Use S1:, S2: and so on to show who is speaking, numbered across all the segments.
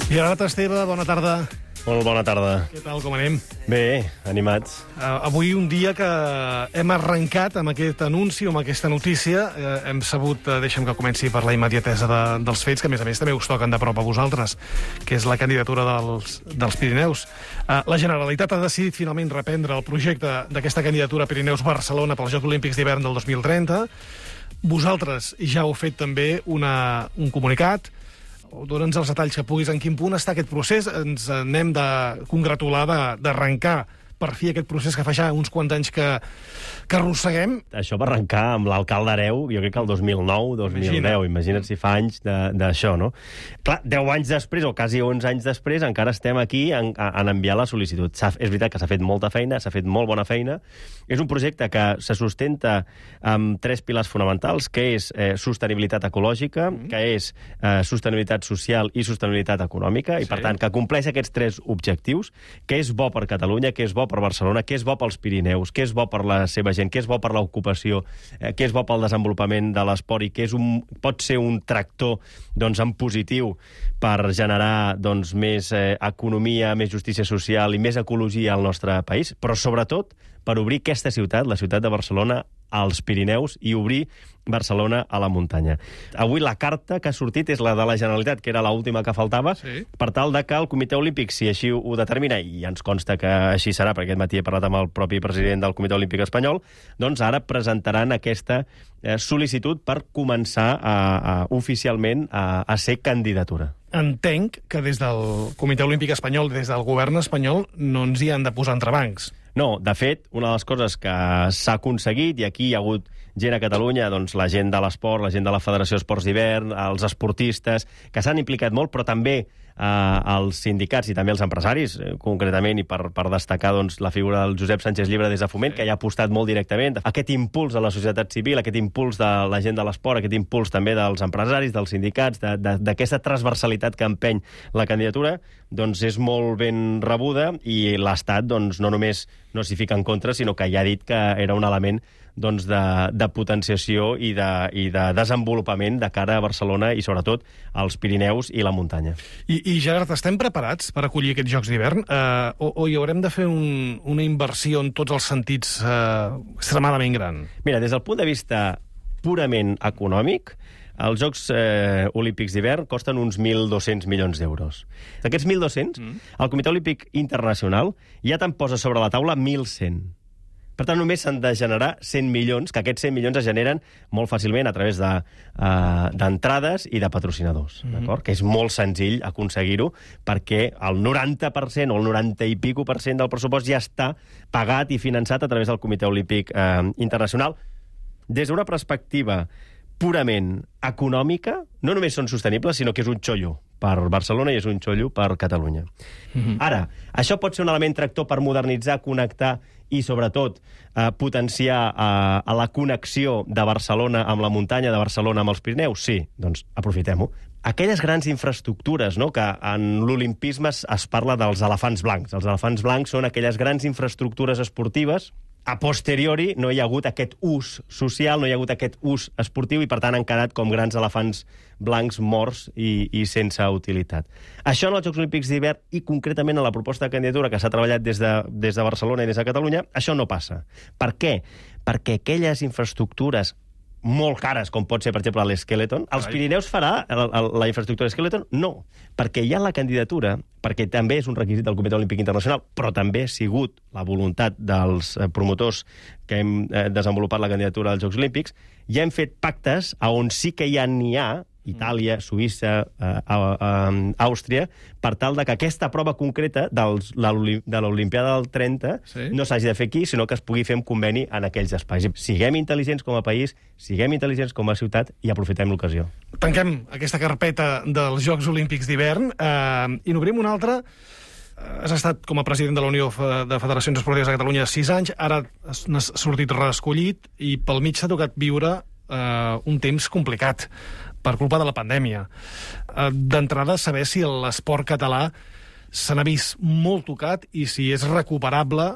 S1: Gerard Esteve, bona tarda.
S2: Molt bona tarda.
S1: Què tal, com anem?
S2: Bé, animats.
S1: Avui un dia que hem arrencat amb aquest anunci, amb aquesta notícia. Hem sabut, deixa'm que comenci per la immediatesa dels fets, que a més també us toquen de prop a vosaltres, que és la candidatura dels Pirineus. La Generalitat ha decidit finalment reprendre el projecte d'aquesta candidatura Pirineus-Barcelona pels Jocs Olímpics d'hivern del 2030. Vosaltres ja heu fet també un comunicat. Dóna'ns els detalls que puguis. En quin punt està aquest procés? Ens n'hem de congratular d'arrencar per fi aquest procés que fa ja uns quants anys que arrosseguem.
S2: Això va arrencar amb l'alcalde Hereu, jo crec que el 2009, 2010. Imagina't si fa anys d'això, no? Clar, 10 anys després, o quasi 11 anys després, encara estem aquí en enviar la sol·licitud. És veritat que s'ha fet molta feina, s'ha fet molt bona feina. És un projecte que se sustenta amb 3 pilars fonamentals, que és sostenibilitat ecològica, que és sostenibilitat social i sostenibilitat econòmica, i per tant que compleix aquests 3 objectius, que és bo per Catalunya, que és bo per Barcelona, que és bo pels Pirineus, que és bo per la seva gent, que és bo per l'ocupació, que és bo pel desenvolupament de l'esport i que pot ser un tractor en positiu per generar més economia, més justícia social i més ecologia al nostre país, però sobretot per obrir aquesta ciutat, la ciutat de Barcelona, als Pirineus i obrir Barcelona a la muntanya. Avui la carta que ha sortit és la de la Generalitat, que era l'última que faltava, per tal de que el Comitè Olímpic, si així ho determina, i ens consta que així serà, perquè aquest matí he parlat amb el propi president del Comitè Olímpic espanyol, doncs ara presentaran aquesta sol·licitud per començar oficialment a ser candidatura.
S1: Entenc que des del Comitè Olímpic espanyol, des del govern espanyol, no ens hi han de posar entrebancs.
S2: No, de fet, una de les coses que s'ha aconseguit, i aquí hi ha hagut gent a Catalunya, doncs la gent de l'esport, la gent de la Federació d'Esports d'Hivern, els esportistes, que s'han implicat molt, però també els sindicats i també els empresaris, concretament, i per destacar la figura del Josep Sánchez Llibre des de Foment, que hi ha apostat molt directament. Aquest impuls de la societat civil, aquest impuls de la gent de l'esport, aquest impuls també dels empresaris, dels sindicats, d'aquesta transversalitat que empeny la candidatura, doncs és molt ben rebuda, i l'Estat no només no s'hi fica en contra, sinó que ja ha dit que era un element de potenciació i de desenvolupament de cara a Barcelona i, sobretot, als Pirineus i la muntanya.
S1: I Gerard, estem preparats per acollir aquests Jocs d'hivern? O hi haurem de fer una inversió en tots els sentits extremadament gran? Mira,
S2: des del punt de vista purament econòmic, els Jocs Olímpics d'hivern costen uns 1.200 milions d'euros. D'aquests 1.200, el Comitè Olímpic Internacional ja te'n posa sobre la taula 1.100. Per tant, només s'han de generar 100 milions, que aquests 100 milions es generen molt fàcilment a través d'entrades i de patrocinadors, d'acord? Que és molt senzill aconseguir-ho, perquè el 90% o el 90 i pico % del pressupost ja està pagat i finançat a través del Comitè Olímpic Internacional. Des d'una perspectiva purament econòmica, no només són sostenibles, sinó que és un xollo per Barcelona i és un xollo per Catalunya. Ara, això pot ser un element tractor per modernitzar, connectar i, sobretot, potenciar la connexió de Barcelona amb la muntanya, de Barcelona amb els Pirineus? Sí, doncs aprofitem-ho. Aquelles grans infraestructures, que en l'olimpisme es parla dels elefants blancs. Els elefants blancs són aquelles grans infraestructures esportives. A posteriori no hi ha hagut aquest ús social, no hi ha hagut aquest ús esportiu i, per tant, han quedat com grans elefants blancs morts i sense utilitat. Això en els Jocs Olímpics d'hivern i, concretament, en la proposta de candidatura que s'ha treballat des de Barcelona i des de Catalunya, això no passa. Per què? Perquè aquelles infraestructures molt cares, com pot ser, per exemple, l'Skeleton. Els Pirineus farà la infraestructura Skeleton? No, perquè hi ha la candidatura, perquè també és un requisit del Comitè Olímpic Internacional, però també ha sigut la voluntat dels promotors que hem desenvolupat la candidatura als Jocs Olímpics. Ja hem fet pactes on sí que n'hi ha, Itàlia, Suïssa, Àustria, per tal de que aquesta prova concreta de l'Olimpiada del 30 no s'hagi de fer aquí, sinó que es pugui fer un conveni en aquells espais. Siguem intel·ligents com a país, siguem intel·ligents com a ciutat i aprofitem l'ocasió.
S1: Tanquem aquesta carpeta dels Jocs Olímpics d'hivern i n'obrim una altra. Has estat com a president de la Unió de Federacions Esportives de Catalunya 6 anys, ara n'has sortit reescollit i pel mig s'ha tocat viure un temps complicat per culpa de la pandèmia. D'entrada, saber si l'esport català se n'ha vist molt tocat i si és recuperable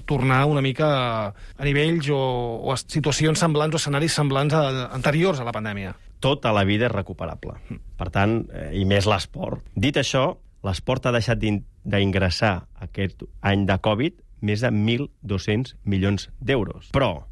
S1: tornar una mica a nivells o a situacions semblants o escenaris semblants anteriors a la pandèmia.
S2: tota la vida és recuperable. Per tant, i més l'esport. Dit això, l'esport ha deixat d'ingressar aquest any de Covid més de 1.200 milions d'euros. Però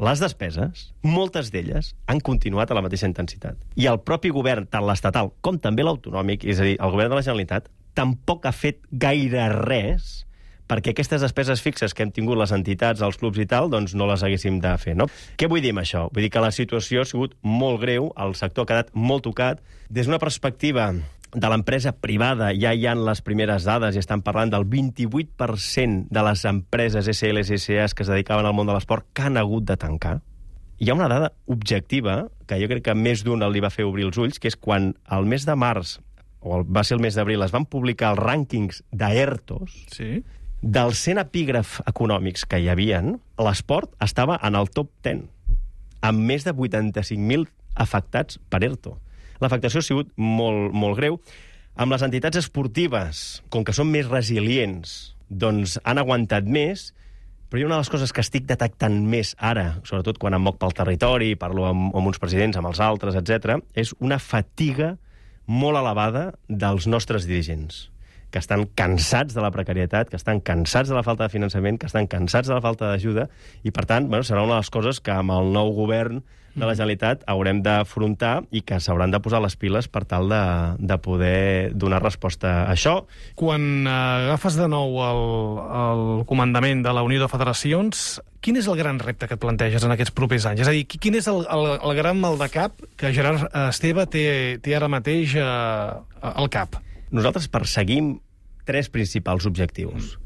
S2: les despeses, moltes d'elles, han continuat a la mateixa intensitat. I el propi govern, tant l'estatal com també l'autonòmic, és a dir, el govern de la Generalitat, tampoc ha fet gaire res perquè aquestes despeses fixes que hem tingut les entitats, els clubs i tal, doncs no les haguéssim de fer, no? Què vull dir amb això? Vull dir que la situació ha sigut molt greu, el sector ha quedat molt tocat. Des d'una perspectiva de l'empresa privada ja hi ha les primeres dades i estan parlant del 28% de les empreses SLs i SAs que es dedicaven al món de l'esport que han hagut de tancar. Hi ha una dada objectiva que jo crec que més d'un li va fer obrir els ulls, que és quan al mes de març, o va ser el mes d'abril, es van publicar els rànquings d'ERTOs,
S1: Sí.
S2: dels 100 epígrafs econòmics que hi havien, l'esport estava en el top 10, amb més de 85.000 afectats per ERTO. L'afectació ha sigut molt, molt greu. Amb les entitats esportives, com que són més resilients, doncs han aguantat més, però hi ha una de les coses que estic detectant més ara, sobretot quan em moc pel territori, parlo amb uns presidents, amb els altres, etc., és una fatiga molt elevada dels nostres dirigents, que estan cansats de la precarietat, que estan cansats de la falta de finançament, que estan cansats de la falta d'ajuda, i, per tant, bueno, serà una de les coses que amb el nou govern de la Generalitat haurem d'afrontar i que s'hauran de posar les piles per tal de poder donar resposta a això.
S1: Quan agafes de nou el comandament de la Unió de Federacions, quin és el gran repte que et planteges en aquests propers anys? És a dir, quin és el gran mal de cap que Gerard Esteve té ara mateix al cap?
S2: Nosaltres perseguim 3 principals objectius.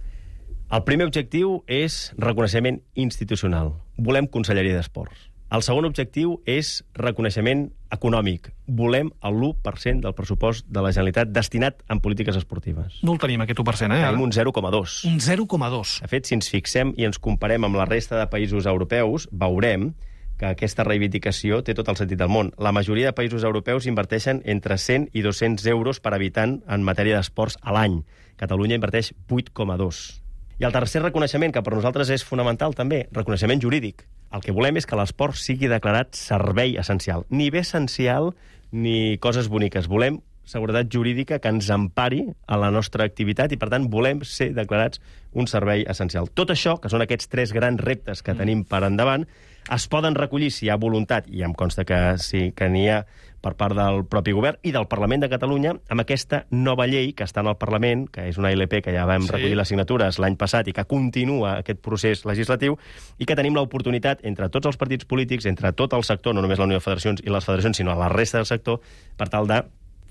S2: El primer objectiu és reconeixement institucional. Volem Conselleria d'Esports. El segon objectiu és reconeixement econòmic. Volem el 1% del pressupost de la Generalitat destinat en polítiques esportives.
S1: No el tenim, aquest 1%, eh?
S2: Tenim un 0,2.
S1: Un 0,2.
S2: De fet, si ens fixem i ens comparem amb la resta de països europeus, veurem que aquesta reivindicació té tot el sentit del món. La majoria de països europeus inverteixen entre 100 i 200 euros per habitant en matèria d'esports a l'any. Catalunya inverteix 8,2. I el tercer reconeixement, que per nosaltres és fonamental també, reconeixement jurídic. El que volem és que l'esport sigui declarat servei essencial. Ni bé essencial ni coses boniques. Volem seguretat jurídica que ens empari a la nostra activitat i, per tant, volem ser declarats un servei essencial. Tot això, que són aquests 3 grans reptes que tenim per endavant, es poden recollir si hi ha voluntat, i em consta que sí que n'hi ha per part del propi govern i del Parlament de Catalunya, amb aquesta nova llei que està en el Parlament, que és una ILP que ja vam recollir les signatures l'any passat i que continua aquest procés legislatiu, i que tenim l'oportunitat, entre tots els partits polítics, entre tot el sector, no només la Unió de Federacions i les federacions, sinó la resta del sector, per tal de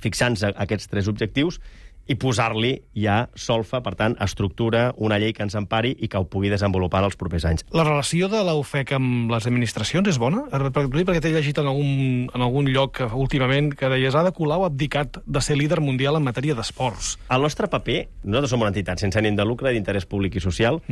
S2: fixar-nos aquests 3 objectius i posar-li ja solfa, per tant, estructura, una llei que ens empari i que ho pugui desenvolupar en els propers anys.
S1: La relació de la UFEC amb les administracions és bona? Perquè t'he llegit en algun lloc últimament que deies Ada Colau ha abdicat de ser líder mundial en matèria d'esports.
S2: El nostre paper, nosaltres som una entitat sense ànim de lucre, d'interès públic i social,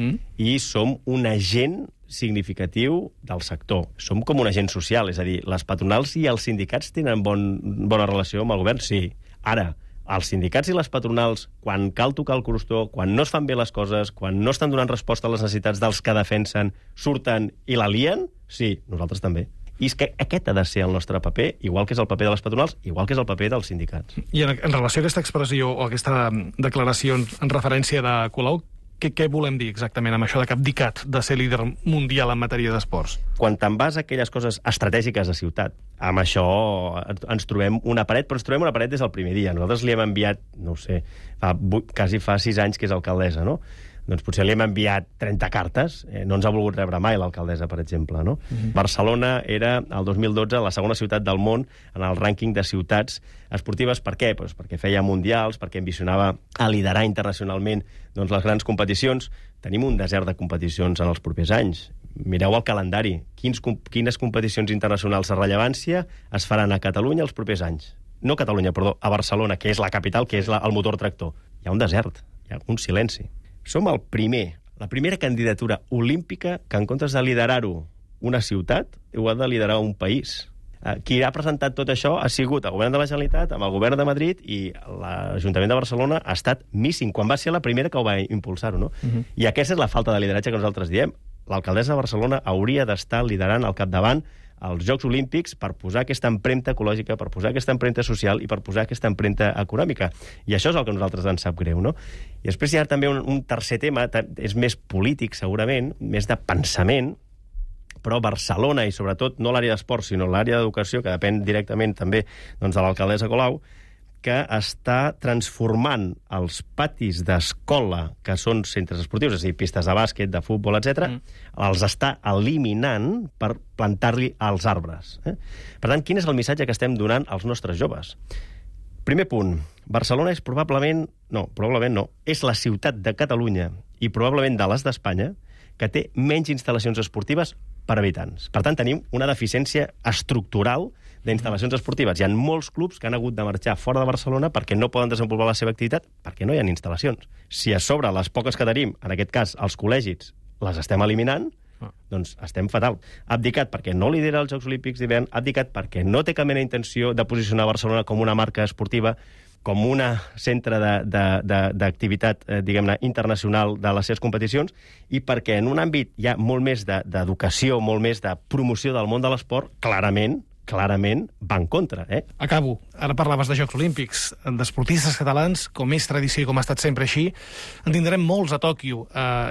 S2: i som un agent significatiu del sector. Som com un agent social, és a dir, les patronals i els sindicats tenen bona relació amb el govern, sí. Ara, els sindicats i les patronals, quan cal tocar el crostó, quan no es fan bé les coses, quan no estan donant resposta a les necessitats dels que defensen, surten i la lien, sí, nosaltres també. I és que aquest ha de ser el nostre paper, igual que és el paper de les patronals, igual que és el paper dels sindicats.
S1: I en relació a aquesta expressió o aquesta declaració en referència de Colau, què volem dir exactament amb això de que ha abdicat de ser líder mundial en matèria d'esports?
S2: Quan te'n vas a aquelles coses estratègiques de ciutat, amb això ens trobem una paret, però ens trobem una paret des del primer dia. Nosaltres li hem enviat, no ho sé, quasi fa 6 anys que és alcaldessa, no? Doncs potser li hem enviat 30 cartes. No ens ha volgut rebre mai l'alcaldessa, per exemple, no? Barcelona era, el 2012, la segona ciutat del món en el rànquing de ciutats esportives. Per què? Pues perquè feia mundials, perquè ambicionava a liderar internacionalment les grans competicions. Tenim un desert de competicions en els propers anys. Mireu el calendari. Quines competicions internacionals de rellevància es faran a Catalunya els propers anys? No a Catalunya, perdó, a Barcelona, que és la capital, que és el motor tractor. Hi ha un desert, hi ha un silenci. Som la primera candidatura olímpica que, en comptes de liderar-ho una ciutat, ho ha de liderar un país. Qui ha presentat tot això ha sigut el govern de la Generalitat, amb el govern de Madrid, i l'Ajuntament de Barcelona ha estat míssim, quan va ser la primera que ho va impulsar-ho, no? I aquesta és la falta de lideratge que nosaltres diem. L'alcaldessa de Barcelona hauria d'estar liderant al capdavant als Jocs Olímpics per posar aquesta empremta ecològica, per posar aquesta empremta social i per posar aquesta empremta econòmica. I això és el que a nosaltres ens sap greu, no? I després hi ha també un tercer tema, és més polític, segurament, més de pensament, però Barcelona, i sobretot no l'àrea d'esport, sinó l'àrea d'educació, que depèn directament també doncs, de l'alcaldessa Colau, que està transformant els patis d'escola, que són centres esportius, és a dir, pistes de bàsquet, de futbol, etc., els està eliminant per plantar-li als arbres. Per tant, quin és el missatge que estem donant als nostres joves? Primer punt, Barcelona és probablement no, és la ciutat de Catalunya i probablement de les d'Espanya que té menys instal·lacions esportives per habitants. Per tant, tenim una deficiència estructural d'instal·lacions esportives. Hi ha molts clubs que han hagut de marxar fora de Barcelona perquè no poden desenvolupar la seva activitat perquè no hi ha instal·lacions. Si a sobre les poques que tenim, en aquest cas els col·legis, les estem eliminant, doncs estem fatal. Ha abdicat perquè no lidera els Jocs Olímpics d'hivern, ha abdicat perquè no té cap mena d'intenció de posicionar Barcelona com una marca esportiva, com un centre d'activitat, diguem-ne, internacional de les seves competicions, i perquè en un àmbit hi ha molt més d'educació, molt més de promoció del món de l'esport, clarament va en contra.
S1: Acabo. Ara parlaves de Jocs Olímpics. D'esportistes catalans, com és tradició i com ha estat sempre així, en tindrem molts a Tòquio.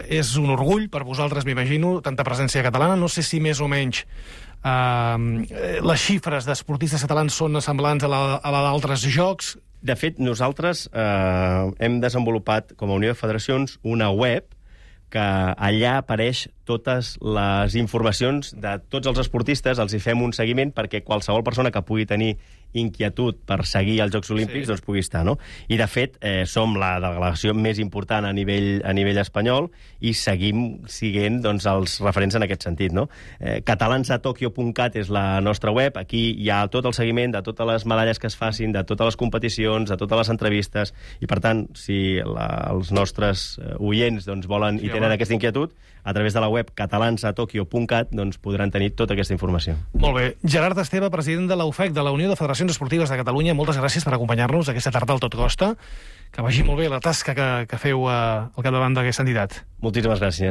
S1: És un orgull per vosaltres, m'imagino, tanta presència catalana. No sé si més o menys les xifres d'esportistes catalans són semblants a la d'altres jocs.
S2: De fet, nosaltres hem desenvolupat, com a Unió de Federacions, una web que allà apareix totes les informacions de tots els esportistes, els hi fem un seguiment perquè qualsevol persona que pugui tenir inquietud per seguir els Jocs Olímpics doncs pugui estar, no? I, de fet, som la delegació més important a nivell espanyol i seguim siguent doncs, els referents en aquest sentit, no? Catalansatokyo.cat és la nostra web. Aquí hi ha tot el seguiment de totes les medalles que es facin, de totes les competicions, de totes les entrevistes, i, per tant, si els nostres oients doncs, volen i tenen aquesta inquietud, a través de la web catalansatokyo.cat doncs, podran tenir tota aquesta informació.
S1: Molt bé. Gerard Esteve, president de la UFEC, de la Unió de Federacions Esportives de Catalunya, moltes gràcies per acompanyar-nos aquesta tarda al Tot Costa. Que vagi molt bé la tasca que feu al capdavant d'aquesta entitat.
S2: Moltíssimes gràcies.